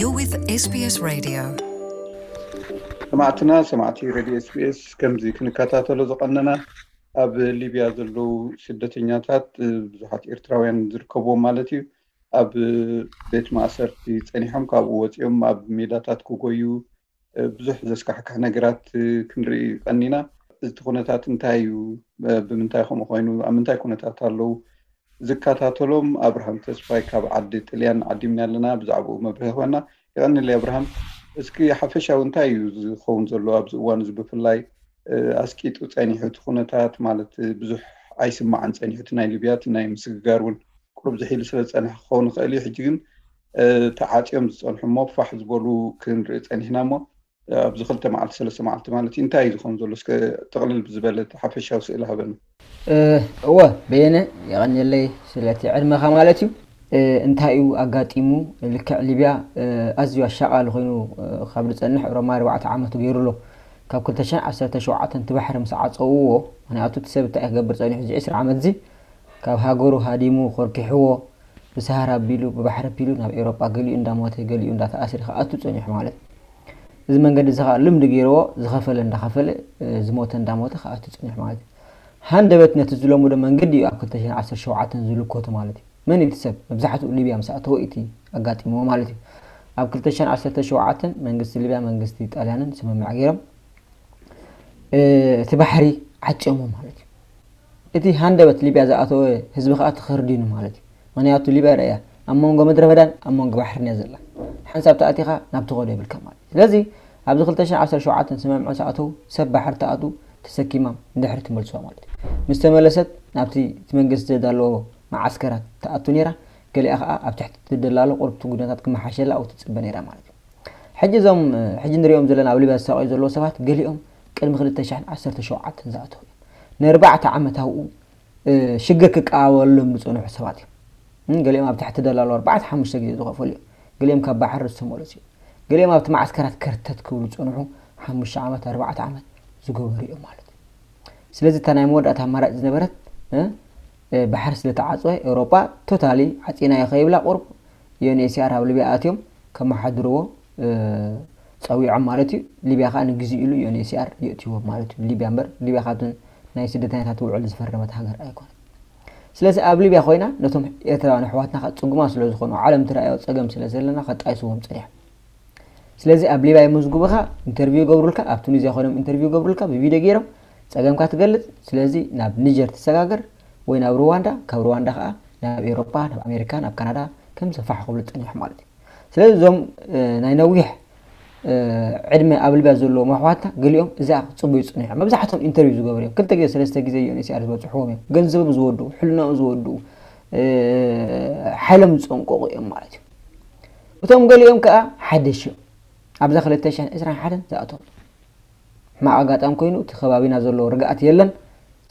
You're with S B S Radio. ሰማዕትና ሰማዕቲ ሬድዮ ኤስቢኤስ፣ ከምዚ ክንከታተሎ ዝቐነና፣ ኣብ ሊብያ ዘለዉ ስደተኛታት ብዙሓት ኤርትራውያን ዝርከብዎም ማለት እዩ፣ ኣብ ቤት ማእሰርቲ ጸኒሖም፣ ካብኡ ወጺኦም ኣብ ሜዳታት ክጎዩ ብዙሕ ዘስካሕክሕ ነገራት ክንርኢ ቀኒና። እቲ ኩነታት እንታይ እዩ? ብምንታይ ከምኡ ኮይኑ? ኣብ ምንታይ ኩነታት ኣለዉ? ዝከታተሎም ኣብርሃም ተስፋይ ካብ ዓዲ ጥልያን ዓዲምና ኣለና። ብዛዕባኡ መብርሂ ክበና። የቐንየለይ ኣብርሃም። እስኪ ሓፈሻዊ እንታይ እዩ ዝኸውን ዘሎ ኣብዚ እዋን እዚ? ብፍላይ ኣስቂጡ ጸኒሑ እቲ ኩነታት፣ ማለት ብዙሕ ኣይስማዕን ጸኒሑ፣ እቲ ናይ ሊብያ እቲ ናይ ምስግጋር እውን ቁሩብ ዝሒሉ ስለ ዝጸንሐ ክኸውን ይኽእል እዩ። ሕጂ ግን ተዓጽዮም ዝጸንሑ እሞ ፋሕ ዝበሉ ክንርኢ ጸኒሕና እሞ ኣብዚ ክልተ መዓልቲ ሰለስተ መዓልቲ ማለት እዩ እንታይ እዩ ዝኸውን ዘሎ? እስከ ጥቕልል ብዝበለ እቲ ሓፈሻዊ ስእሊ ሃበና። እወ፣ በየነ፣ የቐንየለይ ስለቲ ዕድመኻ ማለት እዩ። እንታይ እዩ ኣጋጢሙ? ልክዕ ሊብያ ኣዝዩ ኣሻቓሊ ኮይኑ ካብ ዝጸንሕ ሮማ ኣርባዕተ ዓመቱ ገይሩ ኣሎ። ካብ ክልተ ሽሕን ዓሰርተ ሸውዓተን እቲ ባሕሪ ምስ ዓጸውዎ፣ ምክንያቱ እቲ ሰብ እንታይ ክገብር ጸኒሑ እዚ ዕስራ ዓመት እዚ? ካብ ሃገሩ ሃዲሙ ኮርኪሕዎ፣ ብሰሃራ ኣቢሉ ብባሕሪ ኣቢሉ ናብ ኤውሮጳ ገሊኡ እንዳሞተ ገሊኡ እንዳተኣስረ ክኣቱ ጸኒሑ ማለት እዩ። እዚ መንገዲ እዚ ከዓ ልምዲ ገይርዎ ዝኸፈለ እንዳኸፈለ ዝሞተ እንዳሞተ ክኣቱ ጸኒሑ ማለት እዩ። ሃንደበት ነቲ ዝለመዶ መንገዲ እዩ ኣብ ክልተ ሽሕን ዓሰርተ ሸውዓተን ዝልኮቱ ማለት እዩ። መን እቲ ሰብ መብዛሕትኡ ሊብያ ምስ ኣተወ እቲ ኣጋጢምዎ ማለት እዩ። ኣብ ክልተ ሽሕን ዓሰርተ ሸውዓተን መንግስቲ ሊብያ መንግስቲ ጣልያንን ስምምዕ ገይሮም እቲ ባሕሪ ዓጽዮሞ ማለት እዩ። እቲ ሃንደበት ሊብያ ዝኣተወ ህዝቢ ከዓ ተኸርዲኑ ማለት እዩ። ምክንያቱ ሊብያ ርኣያ ኣብ መንጎ ምድረ በዳን ኣብ መንጎ ባሕርን እያ ዘላ። ሓንሳብ ተኣቲኻ ናብ ትኸዶ የብልካ ማለት እዩ። ስለዚ ኣብዚ ክልተ ሽሕን ዓሰርተ ሸውዓተን ስምምዕ ዝኣተው ሰብ ባሕሪ ተኣቱ ተሰኪማ ንድሕሪ ትመልስዋ ማለት እዩ። ምስ ተመለሰት ናብቲ እቲ መንግስቲ ዘዳለዎ መዓስከራት ትኣቱ ነይራ። ገሊኣ ከዓ ኣብ ትሕቲ ትደላሎ ቁርብቲ ጉዳታት ክመሓሸላ ኣብኡ ትፅበ ነይራ ማለት እዩ። ሕጂ እዞም ሕጂ ንሪኦም ዘለና ኣብ ሊብያ ዝሳቀዩ ዘለዉ ሰባት ገሊኦም ቅድሚ ክልተ ሽሕን ዓሰርተ ሸውዓተን ዝኣተዉ እዮም። ንኣርባዕተ ዓመት ኣብኡ ሽግር ክቀባበለሎም ዝፀንሑ ሰባት እዮም። ገሊኦም ኣብ ትሕቲ ደላሎ ኣርባዕተ ሓሙሽተ ግዜ ዝኸፈሉ እዮም። ገሊኦም ካብ ባሕሪ ዝተመለሱ እዮም። ገሊኦም ኣብቲ ማዓስከራት ከርተት ክብሉ ዝፀንሑ ሓሙሽተ ዓመት ኣርባዕተ ዓመት ዝገበሩ እዮም ማለት እዩ። ስለዚ እታ ናይ መወዳእታ ኣማራጭ ዝነበረት ባሕሪ ስለተዓፀወ ኤውሮጳ ቶታሊ ዓፂናዮ ከይብላ ቁሩብ ዩኤንኤችሲኣር ኣብ ሊብያ ኣትዮም ከመሓድርዎ ፀዊዖም ማለት እዩ። ሊብያ ከዓ ንግዜ ኢሉ ዩኤንኤችሲኣር የእትይዎም ማለት እዩ። ሊብያ እምበር ሊብያ ካብተን ናይ ስደተኛታት ውዕል ዝፈረመት ሃገር ኣይኮነን። ስለዚ ኣብ ሊብያ ኮይና ነቶም ኤርትራውያን ኣሕዋትና ከዓ ፅጉማት ስለዝኾኑ ዓለም ትረኣዮ ፀገም ስለዘለና ከጣይስዎም ፀኒሖም። ስለዚ ኣብ ሊብያ ይምዝግቡኻ፣ ኢንተርቪው ይገብሩልካ፣ ኣብ ቱኒዝያ ኮይኖም ኢንተርቪው ይገብሩልካ ብቪድዮ ገይሮም ፀገምካ ትገልፅ። ስለዚ ናብ ኒጀር ትሰጋገር ወይ ናብ ሩዋንዳ፣ ካብ ሩዋንዳ ከዓ ናብ ኤውሮጳ፣ ናብ ኣሜሪካ፣ ናብ ካናዳ ከምዚ ፋሕ ክብሉ ፀኒሖም ማለት እዩ። ስለዚ እዞም ናይ ነዊሕ ዕድመ ኣብ ሊብያ ዘለዎም ኣሕዋትና ገሊኦም እዚኣ ክፅበዩ ዝፅንሑ እዮም። መብዛሕትኦም ኢንተርቪው ዝገበሩ እዮም። ክልተ ግዜ ሰለስተ ግዜ ዩኤንኤችሲኣር ዝበፅሕዎም እዮም። ገንዘቦም ዝወድኡ፣ ሕልናኦም ዝወድኡ፣ ሓይሎም ዝፀንቀቑ እዮም ማለት እዩ። እቶም ገሊኦም ከዓ ሓደሽ እዮም። ኣብዛ ክልተ ሽሕን ዕስራን ሓደን ዝኣተዉ ሕማቕ ኣጋጣሚ ኮይኑ እቲ ከባቢና ዘሎ ርግኣት የለን፣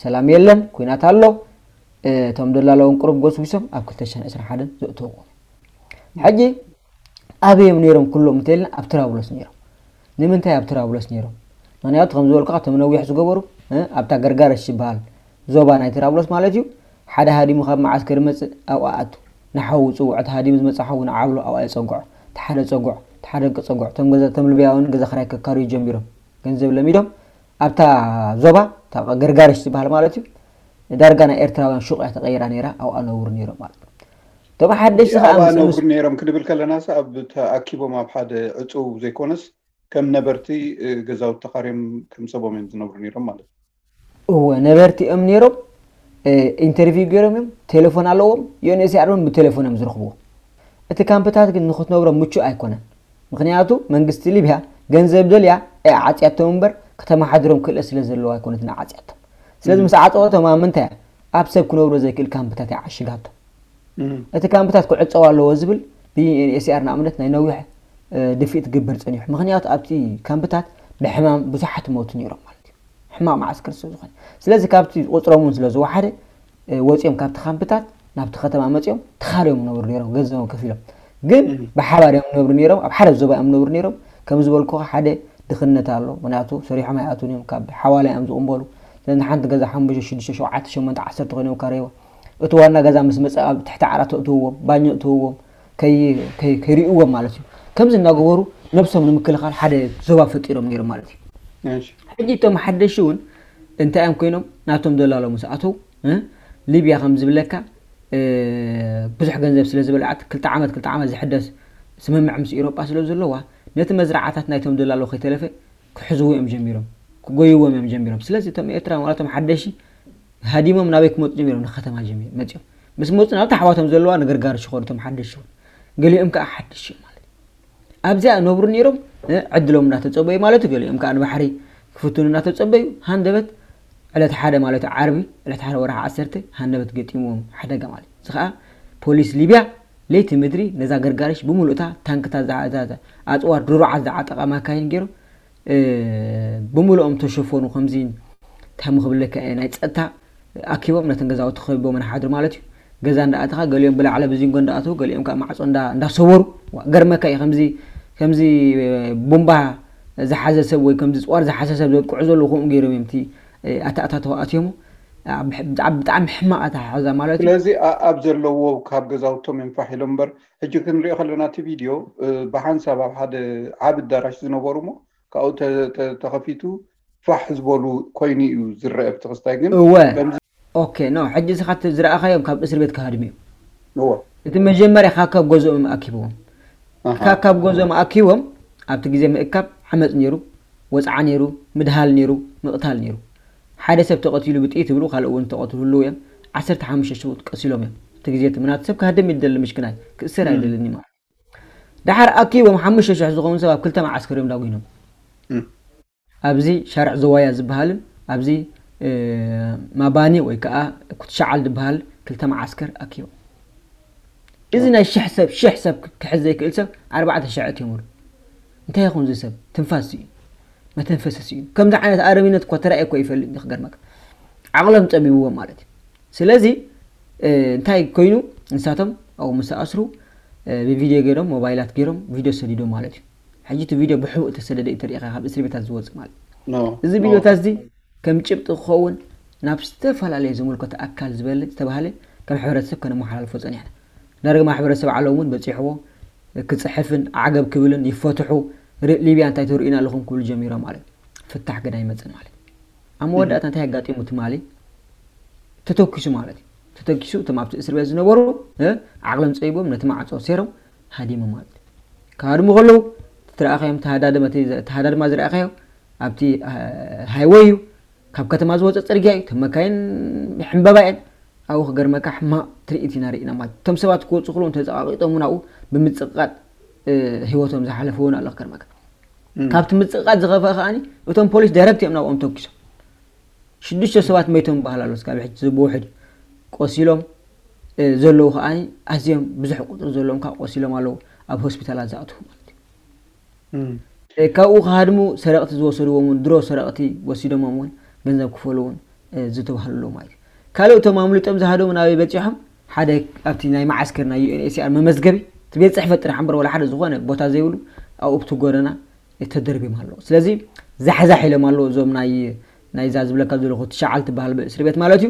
ሰላም የለን፣ ኩናት ኣሎ። እቶም ደላሎ እውን ቁሩብ ጎስጒሶም ኣብ ክልተ ሽሕን ዕስራን ሓደን ዘእተውዎ። ሕጂ ኣበይ እዮም ነይሮም ኩሎም እንተኢልና ኣብ ትራብሎስ ነይሮም። ንምንታይ ኣብ ትራብሎስ ነይሮም? ምክንያቱ ከም ዝበልኩኻ እቶም ነዊሕ ዝገበሩ ኣብታ ገርጋረሽ ዝበሃል ዞባ ናይ ትራብሎስ ማለት እዩ። ሓደ ሃዲሙ ካብ መዓስከር ይመፅእ ኣብኣ ኣቱ ንሓዉ ይፅውዖ። እቲ ሃዲሙ ዝመፅእ ሓዉ ንዓብሎ ኣብኣ የፀግዖ። እቲ ሓደ ፀጉዕ፣ እቲ ሓደ ፀጉዕ። እቶም ገዛ እቶም ልብያውያን ገዛ ክራይ ከካርዩ ጀሚሮም። ገንዘብ ለሚዶም ኣብታ ዞባ እታ ገርጋረሽ ዝበሃል ማለት እዩ ዳርጋ ናይ ኤርትራውያን ሹቕ እያ ተቐይራ ነይራ። ኣብኣ ነብሩ ነይሮም ማለት እዩ። እቶም ሓደሽቲ ከዓ ኣብኣ ምስ ነብሩ ነይሮም ክንብል ከለና ሳ ኣብ ተኣኪቦም ኣብ ሓደ ዕፁው ዘይኮነስ ከም ነበርቲ ገዛውቲ ተኻርዮም ከም ሰቦም እዮም ዝነብሩ ነይሮም ማለት እዩ። እወ ነበርቲ እዮም ነይሮም። ኢንተርቪው ገይሮም እዮም። ቴሌፎን ኣለዎም። ዩኤንኤችሲኣር እውን ብቴሌፎን እዮም ዝረኽብዎ። እቲ ካምፕታት ግን ንክትነብሮም ምቹእ ኣይኮነን። ምክንያቱ መንግስቲ ሊብያ ገንዘብ ደልያ እያ ዓፅያቶም እምበር ከተመሓድሮም ክእለት ስለ ዘለዋ ኣይኮነትን ዓፅያቶም። ስለዚ ምስ ዓፀወቶም ኣብ ምንታይ እያ? ኣብ ሰብ ክነብሮ ዘይክእል ካምፕታት እያ ዓሽጋቶም። እቲ ካምፕታት ክዕፀው ኣለዎ ዝብል ብዩኤንኤችሲኣር ንኣብነት ናይ ነዊሕ ድፍኢት ክግበር ፀኒሑ። ምክንያቱ ኣብቲ ካምፕታት ብሕማም ብዙሓት ይሞቱ ነይሮም ማለት እዩ። ሕማቕ መዓስከር ስለ ዝኾነ። ስለዚ ካብቲ ቁፅሮም እውን ስለ ዝወሓደ ወፂኦም ካብቲ ካምፕታት ናብቲ ከተማ መፂኦም ተኻርዮም ነብሩ ነይሮም፣ ገንዘቦም ከፊሎም። ግን ብሓባር እዮም ነብሩ ነይሮም፣ ኣብ ሓደ ዞባ እዮም ነብሩ ነይሮም። ከም ዝበልኩኻ ሓደ ድኽነት ኣሎ፣ ምክንያቱ ሰሪሖም ኣይኣትውን እዮም፣ ካብ ሓዋላ እዮም ዝቕንበሉ። ስለዚ ንሓንቲ ገዛ ሓሙሽተ ሽዱሽተ ሸውዓተ ሸሞንተ ዓሰርተ ኮይኖም ካረይዎ። እቲ ዋና ገዛ ምስ መፀ ኣብ ትሕቲ ዓራት እትውዎም፣ ባኞ እትውዎም፣ ከይርእይዎም ማለት እዩ። ከምዚ እናገበሩ ነብሶም ንምክልኻል ሓደ ዞባ ፈጢሮም ነይሮም ማለት እዩ። ሕጂ እቶም ሓደሽ እውን እንታይ እዮም ኮይኖም? ናቶም ደላሎ ምስ ኣተው እ፣ ሊብያ ከም ዝብለካ እ፣ ብዙሕ ገንዘብ ስለ ዝበልዓት ክልተ ዓመት ክልተ ዓመት ዝሕደስ ስምምዕ ምስ ኤሮጳ ስለ ዘለዋ ነቲ መዝረዓታት ናይቶም ደላሎ ከይተለፈ ክሕዝዎ እዮም ጀሚሮም፣ ክጎይዎም እዮም ጀሚሮም። ስለዚ እቶም ኤርትራ ማለቶም ሓደሺ ሃዲሞም ናበይ ክመፁ ጀሚሮም? ንከተማ ጀሚሮም መፅኦም። ምስ መፁ ናብ ታሕዋቶም ዘለዋ ንገርጋር ሽኾር እቶም ሓደሽ እውን ገሊኦም ከዓ ሓደሽ እዮም ማለት ኣብዚኣ ነብሩ ነይሮም እ፣ ዕድሎም እናተፀበዩ ማለት እዩ። ገሊኦም ከዓ ንባሕሪ ክፍትኑ እናተፀበዩ ሃንደበት ዕለት ሓደ ማለት እዩ ዓርቢ ዕለት ሓደ ወርሒ ዓሰርተ ሃንደበት ገጢምዎም ሓደጋ ማለት እዩ። እዚ ከዓ ፖሊስ ሊብያ ለይቲ ምድሪ ነዛ ገርጋሪሽ ብምሉእታ ታንክታት ዝዓ- ዝዓ- ኣፅዋር ድሩዓት ዝዓጠቓ ማካይን ገይሮም እ፣ ብምሉኦም ተሸፈኑ። ከምዚ እንታይ ምክብለካ እየ ናይ ፀጥታ ኣኪቦም ነተን ገዛውቲ ከቢቦም ንሓድር ማለት እዩ። ገዛ እንዳኣተኻ ገሊኦም ብላዕለ ብዚንጎ እንዳኣተው ገሊኦም ከዓ ማዕፆ እንዳ- እንዳሰበሩ ዋ፣ ገርመካ እዩ ከምዚ ከምዚ እ፣ ቡምባ ዝሓዘ ሰብ ወይ ከምዚ ፅዋር ዝሓዘ ሰብ ዘጥቅዑ ዘለዉ ከምኡ ገይሮም እዮም እቲ እ፣ ኣተኣታተው ኣትዮሞ ኣ፣ ብሕ- ብጣዕሚ ብጣዕሚ ሕማቕ ኣተሓሕዛ ማለት እዩ። ስለዚ ኣ- ኣብ ዘለዎ ካብ ገዛውቶም እዮም ፋሕ ኢሎም እምበር ሕጂ ክንሪኦ ከለና እቲ ቪድዮ እ፣ ብሓንሳብ ኣብ ሓደ ዓቢ ኣዳራሽ ዝነበሩ እሞ ካብኡ ተ- ተ- ተኸፊቱ ፋሕ ዝበሉ ኮይኑ እዩ ዝረአ ኣብቲ ክስታይ ግን እወ ከምዚ ኦኬ ኖ ሕጂ እስኻ እቲ ዝረኣኻዮም ካብ እስር ቤት ክሃድሙ እዮም እወ እቲ መጀመርያ ካብ ካብ ገዝኦም ኣኪብዎም ኣሃ ካብ ካብ ገዝኦም ኣኪቦም ኣብቲ ግዜ ምእካብ ዓመፅ ነይሩ ወፅዓ ነይሩ ምድሃል ነይሩ ምቕታል ነይሩ ሓደ ሰብ ተቐቲሉ ብጥይት ይብሉ ካልእ እውን ተቐትሉ ህልው እዮም ዓሰርተ ሓሙሽተ ሽጉጥ ቀሲሎም እዮም እቲ ግዜ እቲ ምናት ሰብ ክሃድም ይደሊ ምሽክናይ ክእሰር ኣይደልኒ ማለት ደሓር ኣኪቦም ሓሙሽተ ሽሕ ዝኾኑ ሰብ ኣብ ክልተ መዓስከር እዮም ዳጒኖም ኣብዚ ሻርዕ ዘዋያ ዝበሃልን ኣብዚ ማባኒ ወይ ከዓ ኩትሻዓል ዝበሃል ክልተ መዓስከር ኣኪቦም እዚ ናይ ሽሕ ሰብ ሽሕ ሰብ ክሕዝ ዘይክእል ሰብ ኣርባዕተ ሽሕ እትምሉ እንታይ ይኹን እዚ ሰብ ትንፋስ እዩ መተንፈሰስ እዩ ከምዚ ዓይነት ኣረሚነት እኮ ተራእየ እኮ ይፈልጥ ክገርመካ ዓቕሎም ፀቢብዎም ማለት እዩ ስለዚ እንታይ ኮይኑ ንሳቶም ኣብኡ ምስ ኣስሩ ብቪድዮ ገይሮም ሞባይላት ገይሮም ቪድዮ ሰዲዶም ማለት እዩ ሕጂ እቲ ቪድዮ ብሕቡእ ተሰደደ እዩ ተሪኢኻ ካብ እስር ቤታት ዝወፅእ ማለት እዩ። እዚ ቪድዮታት እዚ ከም ጭብጢ ክኸውን ናብ ዝተፈላለየ ዝምልከቶ ኣካል ዝበለ ዝተባህለ ከም ሕብረተሰብ ከነመሓላልፎ ፀኒሕና። ዳርጋ ማሕበረሰብ ዓለም እውን በፂሕዎ ክፅሕፍን ዓገብ ክብልን ይፈትሑ ሊብያ እንታይ ተርእዩና ኣለኹም ክብሉ ጀሚሮም ማለት እዩ። ፍታሕ ግን ኣይመፅን ማለት እዩ። ኣብ መወዳእታ እንታይ ኣጋጢሙ ትማሊ ተተኪሱ ማለት እዩ። ተተኪሱ እቶም ኣብቲ እስር ቤት ዝነበሩ ዓቕሎም ፀቢቦም ነቲ ማዕፆ ሴሮም ሃዲሙ ማለት እዩ። ክሃድሙ ከለዉ ትረኣኸዮም ተሃዳድማ ዝረኣኸዮ ኣብቲ ሃይወይ እዩ ካብ ከተማ ዝወፀ ፅርግያ እዩ ተመካይን ሕምበባ እየን ኣብኡ ክገርመካ ሕማቕ ትርኢት ኢና ርኢና ማለት እቶም ሰባት ክወፁ ክለዉ ተፀቃቂጦም እውን ኣብኡ ብምፅቕቃጥ ህይወቶም ዝሓለፉ እውን ኣሎ ክገርመካ ካብቲ ምፅቕቃጥ ዝኸፍአ ከዓኒ እቶም ፖሊስ ዳይረክት እዮም ናብኦም ተኩሶም ሽዱሽተ ሰባት መይቶም ይበሃል ኣሎ ስካብ ሕጂ ብውሕድ ቆሲሎም ዘለዉ ከዓኒ ኣዝዮም ብዙሕ ቁፅሪ ዘለዎም ካብ ቆሲሎም ኣለዉ ኣብ ሆስፒታላት ዝኣትዉ ማለት እዩ ካብኡ ክሃድሙ ሰረቕቲ ዝወሰድዎም እውን ድሮ ሰረቕቲ ወሲዶሞም እውን ገንዘብ ክፈሉ እውን ዝተባህሉ ኣለዉ ማለት እዩ ካልእ እቶም ኣምሊጦም ዝሃደሙ ናበይ በፂሖም ሓደ ኣብቲ ናይ መዓስከር ናይ ዩኤንኤችሲኣር መመዝገቢ እቲ ቤት ፅሕፈት ጥራሕ እምበር ወላ ሓደ ዝኾነ ቦታ ዘይብሉ ኣብኡ ብቲ ጎደና ተደርቢም ኣለዉ ስለዚ ዛሕዛሕ ኢሎም ኣለዉ እዞም ናይ ናይዛ ዝብለካ ዘለኹ ትሽዓል ትበሃል እስር ቤት ማለት እዩ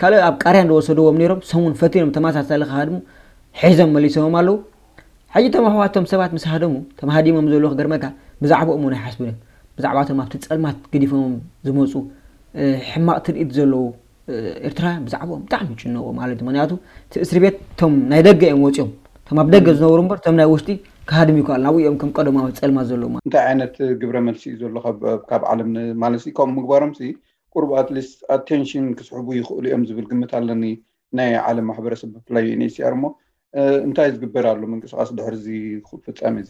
ካልእ ኣብ ቃርያን ዝወሰድዎም ነይሮም ሰሙን ፈቲኖም ተመሳሳሊ ክሃድሙ ሒዞም መሊሶም ኣለዉ ሕጂ እቶም ኣሕዋቶም ሰባት ምስ ሃደሙ ተም ሃዲሞም ዘለዉ ክገርመካ ብዛዕባኦም እውን ኣይሓስቡን እዮም ብዛዕባቶም ኣብቲ ፀልማት ገዲፎም ዝመፁ ሕማቕ ትርኢት ዘለዉ ኤርትራውያን ብዛዕባኦም ብጣዕሚ ይጭነቑ ማለት እዩ ምክንያቱ እቲ እስር ቤት እቶም ናይ ደገ እዮም ወፂኦም እቶም ኣብ ደገ ዝነብሩ እምበር እቶም ናይ ውሽጢ ክሃድም ይከኣል ናብኡ እዮም ከም ቀደማዊ ፀልማት ዘለዉ ማለት እንታይ ዓይነት ግብረ መልሲ እዩ ዘሎ ካብ ዓለም ማለት ከምኡ ምግባሮም ሲ ቁሩብ ኣትሊስት ኣቴንሽን ክስሕቡ ይኽእሉ እዮም ዝብል ግምት ኣለኒ ናይ ዓለም ማሕበረሰብ ብፍላይ ዩኤንኤችሲኣር እሞ እንታይ ዝግበር ኣሎ ምንቅስቃስ ድሕሪ እዚ ፍፃሜ እዚ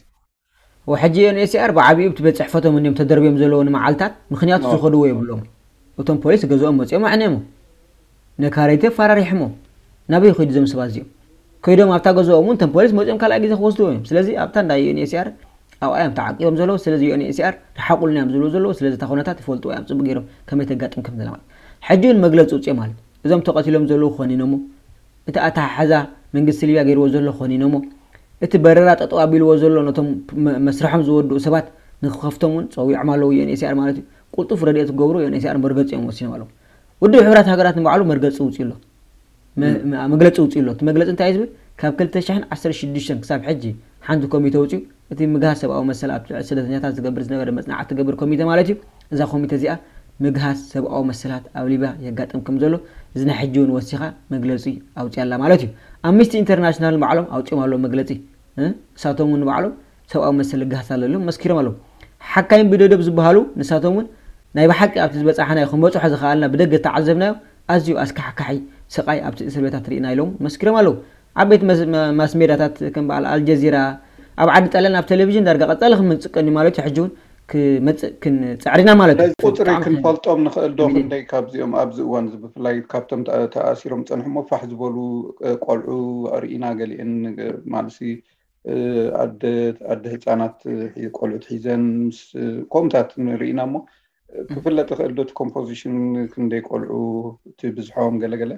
ወሕጂ ዩኤንኤችሲኣር ብዓቢኡ ብቲ ቤት ፅሕፈቶም እንዲዮም ተደርብዮም ዘለዉ ንመዓልታት ምኽንያት ዝኸድዎ የብሎም እቶም ፖሊስ ገዝኦም መፂኦም ኣዕንዮም ነካረይቲ ኣፈራሪሖሞ ናበይ ኸይዱ ዞም ሰባት እዚኦም ከይዶም ኣብታ ገዝኦም እውን እቶም ፖሊስ መፂኦም ካልኣይ ግዜ ክወስድዎ እዮም ስለዚ ኣብታ እንዳ ዩኤንኤችሲኣር ኣብኣ እዮም ተዓቂቦም ዘለዉ ስለዚ ዩኤንኤችሲኣር ርሓቁልና እዮም ዝብሉ ዘለዉ ስለዚ እታ ኩነታት ይፈልጥዎ እዮም ፅቡቅ ገይሮም ከመይ ተጋጥም ከም ዘላ ማለት ሕጂ እውን መግለፂ ውፅኦም ኣሎ እዞም ተቐቲሎም ዘለዉ ክኾኑ ኢኖሞ እቲ ኣተሓሕዛ መንግስቲ ሊብያ ገይርዎ ዘሎ ክኾኑ ኢኖሞ እቲ በረራ ጠጠው ኣቢልዎ ዘሎ ነቶም መስርሖም ዝወድኡ ሰባት ንክኸፍቶም እውን ፀዊዖም ኣለዉ ዩኤንኤችሲኣር ማለት እዩ ቅልጡፍ ረድኤት ክገብሩ ዩኤንኤችሲኣር መርገፂኦም ወሲኖም ኣለዉ ውድብ ሕብራት ሃገራት ንባዕሉ መርገፂ ውፅኡ ኣሎ መግለፂ ውፅኡ ኣሎ እቲ መግለፂ እንታይ እዩ ዝብል ካብ ክልተ ሽሕን ዓሰርተ ሽዱሽተን ክሳብ ሕጂ ሓንቲ ኮሚተ ውፅኡ እቲ ምግሃስ ሰብኣዊ መሰል ኣብ ትሕቲ ስደተኛታት ዝገብር ዝነበረ መጽናዕቲ ትገብር ኮሚተ ማለት እዩ። እዛ ኮሚተ እዚኣ ምግሃስ ሰብኣዊ መሰላት ኣብ ሊብያ የጋጥም ከም ዘሎ እዚ ናይ ሕጂ እውን ወሲኻ መግለጺ ኣውፅያ ኣላ ማለት እዩ። ኣምኒስቲ ኢንተርናሽናል ባዕሎም ኣውፅኦም ኣለዉ መግለፂ። እ? ንሳቶም እውን ባዕሎም ሰብኣዊ መሰል ይገሃስ ኣሎ ኢሎም መስኪሮም ኣለዉ። ሓካይም ብደደብ ዝበሃሉ ንሳቶም እውን ናይ ብሓቂ ኣብቲ ዝበፃሕናዮ ክንበፅሖ ዝኸኣልና ብደገ ዝተዓዘብናዮ ኣዝዩ ኣስካሕካሒ ስቓይ ኣብቲ እስር ቤታት ርኢና ኢሎም መስኪሮም ኣለዉ። ዓበይቲ መስ- መ- ማስ ሜዳታት ከም በዓል ኣልጀዚራ ኣብ ዓዲ ጣልያን ኣብ ቴሌቪዥን ዳርጋ ቀፃሊ ክምንፅቀን እዩ ማለት እዩ። ሕጂ እውን ክመፅእ ክንፅዕር ኢና ማለት እዩ። ነዚ ቁፅሪ ብጣዕሚ ክንፈልጦም ንኽእል ዶ? ሚሊዮን ክንደይ ካብዚኦም ኣብዚ እዋን እዚ ብፍላይ ካብቶም ተኣ- ተኣሲሮም ፀንሑ እሞ ፋሕ ዝበሉ እ፣ ቆልዑ ርኢና፣ ገሊአን እ፣ ማለትሲ እ፣ ኣደ ኣደ ህፃናት እ፣ ሒ- ቆልዑት ሒዘን ምስ እ፣ ከምኡታት ንርኢና እሞ እ፣ ክፍለጥ ይኽእል ዶ እቲ ኮምፖዚሽን ክንደይ ቆልዑ እቲ ብዝሖም ገለገለ?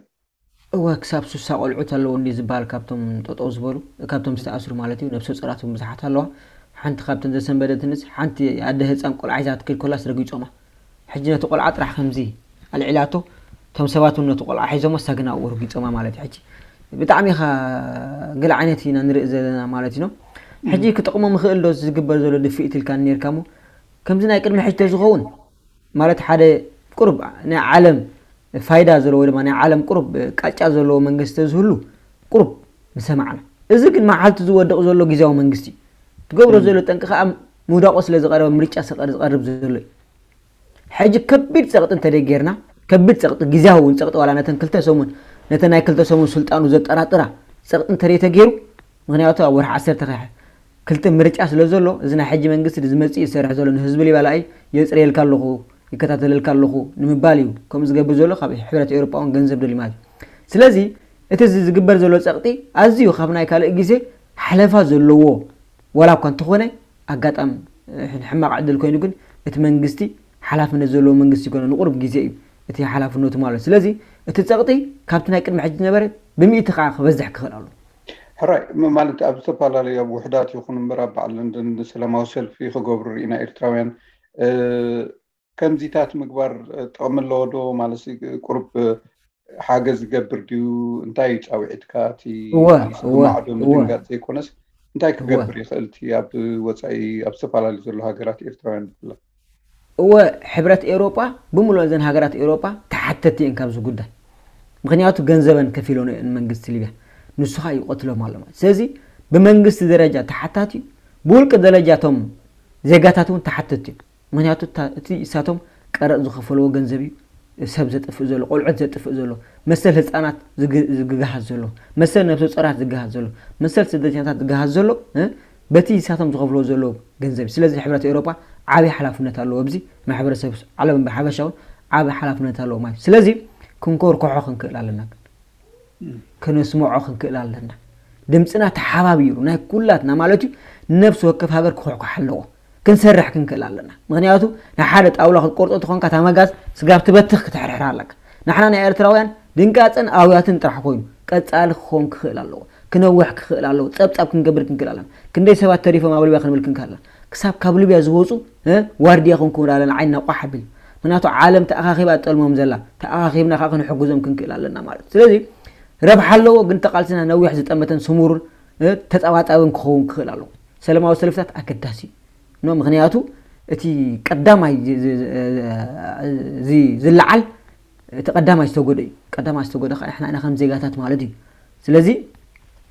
እወ ክሳብ ሱሳ ቆልዑት ኣለዉ እንዲ ዝበሃል ካብቶም ጠጠው ዝበሉ ካብቶም ዝተኣስሩ ማለት እዩ። ነብሰ ፁራት እውን ብዙሓት ኣለዋ። ሓንቲ ካብተን ዘሰንበደትንስ ሓንቲ ኣደ ህፃን ቆልዓ ሒዛ ትከይድ ኮላስ ረጊፆማ። ሕጂ ነቲ ቆልዓ ጥራሕ ከምዚ ኣልዒላቶ እቶም ሰባት እውን ነቲ ቆልዓ ሒዞሞ ሳግና እዎ ረጊፆማ ማለት እዩ። ሕጂ ብጣዕሚ ኢኻ ገለ ዓይነት ኢና ንርኢ ዘለና ማለት እዩ። ሕጂ ክጠቕሞም ይኽእል ዶ ዝግበር ዘሎ ድፍኢት ኢልካ ነርካ እሞ ከምዚ ናይ ቅድሚ ሕጂ ተዝኸውን ማለት ሓደ ቁሩብ ናይ ዓለም ፋይዳ ዘለዎ ወይ ድማ ናይ ዓለም ቁሩብ ቃጫ ዘለዎ መንግስቲ ዝህሉ ቁሩብ ምሰማዕና። እዚ ግን መዓልቲ ዝወድቕ ዘሎ ግዜያዊ መንግስቲ እዩ። ትገብሮ ዘሎ ጠንቂ ከዓ ምውዳቑ ስለ ዝቐረበ ምርጫ ስለ ዝቐርብ ዘሎ እዩ። ሕጂ ከቢድ ፀቕጢ እንተደይ ጌርና ከቢድ ፀቕጢ ግዜያዊ እውን ፀቕጢ ዋላ ነተን ክልተ ሰሙን ነተን ናይ ክልተ ሰሙን ስልጣኑ ዘጠራጥራ ፀቕጢ እንተደይ ተገይሩ ምክንያቱ ኣብ ወርሒ ዓሰርተ ክልተ ምርጫ ስለ ዘሎ እዚ ናይ ሕጂ መንግስቲ ዝመፅእ ይሰርሕ ዘሎ ንህዝቢ ሊባላኣይ የፅርየልካ ኣለኹ ይከታተለልካ ኣለኹ ንምባል እዩ ከምኡ ዝገብር ዘሎ ካብ ሕብረት ኤውሮጳ እውን ገንዘብ ደልዩ ማለት እዩ። ስለዚ እቲ እዚ ዝግበር ዘሎ ፀቕጢ ኣዝዩ ካብ ናይ ካልእ ግዜ ሓለፋ ዘለዎ ዋላ እኳ እንተኾነ ኣጋጣም ሕማቕ ዕድል ኮይኑ ግን እቲ መንግስቲ ሓላፍነት ዘለዎ መንግስቲ ይኮነ ንቁሩብ ግዜ እዩ እቲ ሓላፍነቱ ማለት ስለዚ እቲ ፀቕጢ ካብቲ ናይ ቅድሚ ሕጂ ዝነበረ ብሚእቲ ከዓ ክበዝሕ ክኽእል ኣሎ። ሕራይ ማለት ኣብ ዝተፈላለዩ ኣብ ውሕዳት ይኹን እምበር ኣብ በዓል ለንደን ሰላማዊ ሰልፊ ክገብሩ ርኢና ኤርትራውያን ከምዚታት ምግባር ጥቕሚ ኣለዎ ዶ ማለት ቁሩብ ሓገዝ ዝገብር ድዩ እንታይ እዩ ፃውዒትካ እቲ እወ ማለት እወ ብማዕዶ እወ ምድንጋፅ ዘይኮነስ እንታይ እወ ክገብር ይኽእል እቲ ኣብ ወፃኢ ኣብ ዝተፈላለዩ ዘሎ ሃገራት ኤርትራውያን ብፍላይ እወ ሕብረት ኤውሮጳ ብምሉእ እዘን ሃገራት ኤውሮጳ ተሓተቲ እየን ካብዚ ጉዳይ ምክንያቱ ገንዘበን ከፊሎን እየን መንግስቲ ሊብያ ንሱ ከዓ ይቆትሎም ኣሎ ማለት ስለዚ ብመንግስቲ ደረጃ ተሓታቲ እዩ ብውልቂ ደረጃ እቶም ዜጋታት እውን ተሓተቲ እዮም ምክንያቱ እታ- እቲ እሳቶም ቀረጥ ዝኸፈልዎ ገንዘብ እዩ ሰብ ዘጥፍእ ዘሎ ቆልዑት ዘጥፍእ ዘሎ መሰል ህፃናት ዝግ- ዝግሃዝ ዘሎ መሰል ነብሰ ፆራት ዝግሃዝ ዘሎ መሰል ስደተኛታት ዝግሃዝ ዘሎ እ፣ በቲ እሳቶም ዝኸፍልዎ ዘለዉ ገንዘብ እዩ ስለዚ ሕብረት ኤውሮጳ ዓብዪ ሓላፍነት ኣለዎ ኣብዚ ማሕበረሰብ ዓለም ብሓፈሻ እውን ዓብዪ ሓላፍነት ኣለዎ ማለት እዩ ስለዚ ክንኮርኮሖ ክንክእል ኣለና ከነስምዖ ክንክእል ኣለና ድምፅና ተሓባቢሩ ናይ ኩላትና ማለት እዩ ነፍሲ ወከፍ ሃገር ክኩሕኩሕ ኣለዎ ክንሰርሕ ክንክእል ኣለና ምክንያቱ ንሓደ ጣውላ ክትቆርጦ ተኾንካ እታ መጋዝ ስጋብ ትበትኽ ክትሕርሕር ኣለካ ንሕና ናይ ኤርትራውያን ድንጋፀን ኣውያትን ጥራሕ ኮይኑ ቀፃሊ ክኸውን ክኽእል ኣለዎ ክነውሕ ክኽእል ኣለዎ ፀብፃብ ክንገብር ክንክእል ኣለና ክንደይ ሰባት ተሪፎም ኣብ ሊብያ ክንብል ክንክእል ኣለና ክሳብ ካብ ሊብያ ዝወፁ እ፣ ዋርድያ ክንክውን ኣለና ዓይንና ቋሕ ኣቢል ምክንያቱ ዓለም ተኣኻኺባ ጠልሞም ዘላ ተኣኻኺብና ከዓ ክንሕግዞም ክንክእል ኣለና ማለት እዩ ስለዚ ረብሓ ኣለዎ ግን ተቃልስና ነዊሕ ዝጠመተን ስሙርን እ፣ ተፀባፃብን ክኸውን ክኽእል ኣለዎ ሰላማዊ ሰልፍታት ኣገዳሲ እዩ ኖ ምክንያቱ እቲ ቀዳማይ ዚ- ዚ- ዚ- ዚ- ዝለዓል እቲ ቀዳማይ ዝተጎደ እዩ ቀዳማይ ዝተጎደ ከዓ ንሕና ኢና ከም ዜጋታት ማለት እዩ ስለዚ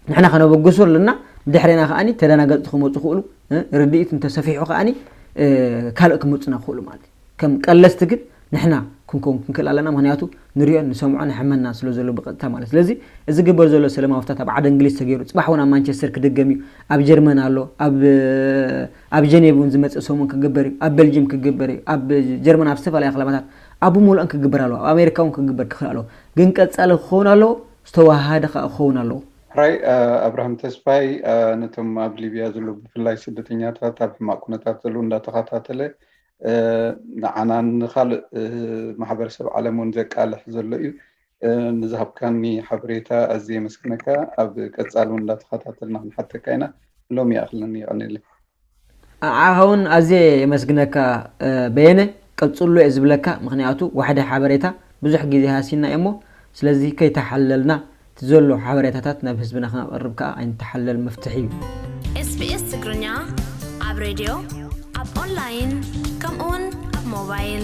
ንሕና ከነበግሶ ኣለና ብድሕሬና ከዓኒ ተደናገፅቲ ክመፁ ክእሉ እ፣ ርድኢት እንተሰፊሑ ከዓኒ እ፣ ካልእ ክመፁና ክእሉ ማለት እዩ ከም ቀለስቲ ግን ንሕና ክንከውን ክንክእል ኣለና ምክንያቱ ንሪኦ ንሰምዖ ንሕመና ስለ ዘሎ ብቀጥታ ማለት ስለዚ እዚ ግበር ዘሎ ሰለማዊ ፍታት ኣብ ዓደ እንግሊዝ ተገይሩ ፅባሕ እውን ኣብ ማንቸስተር ክድገም እዩ ኣብ ጀርመን ኣሎ ኣብ ኣብ ጀኔቭ እውን ዝመፅእ ሰሙን ክግበር እዩ ኣብ ቤልጅም ክግበር እዩ ኣብ ጀርመን ኣብ ዝተፈላለያ ክለባታት ኣብ ሙሉእን ክግበር ኣለዎ ኣብ ኣሜሪካ እውን ክግበር ክኽእል ኣለዎ ግን ቀፃሊ ክኸውን ኣለዎ ዝተዋሃደ ከዓ ክኸውን ኣለዎ ሕራይ ኣብርሃም ተስፋይ ነቶም ኣብ ሊብያ ዘለዉ ብፍላይ ስደተኛታት ኣብ ሕማቅ ኩነታት ዘለዉ እንዳተኸታተለ ንዓናን ንካልእ ማሕበረሰብ ዓለም እውን ዘቃልሕ ዘሎ እዩ ንዝሃብካኒ ሓበሬታ ኣዝየ የመስግነካ ኣብ ቀፃሊ እውን እንዳተኸታተልና ክንሓተካ ኢና ሎም ይኣኽለኒ ይቐኒለ ኣዓኸውን ኣዝየ የመስግነካ በየነ ቀፅሎ እየ ዝብለካ ምክንያቱ ዋሕደ ሓበሬታ ብዙሕ ግዜ ሃሲና እሞ ስለዚ ከይተሓለልና እቲ ዘሎ ሓበሬታታት ናብ ህዝብና ክነቕርብ ከዓ ኣይንተሓለል መፍትሒ እዩ SBS ትግርኛ ኣብ ሬድዮ፣ ኣብ ኦንላይን፣ ከምኡውን ኣብ ሞባይል።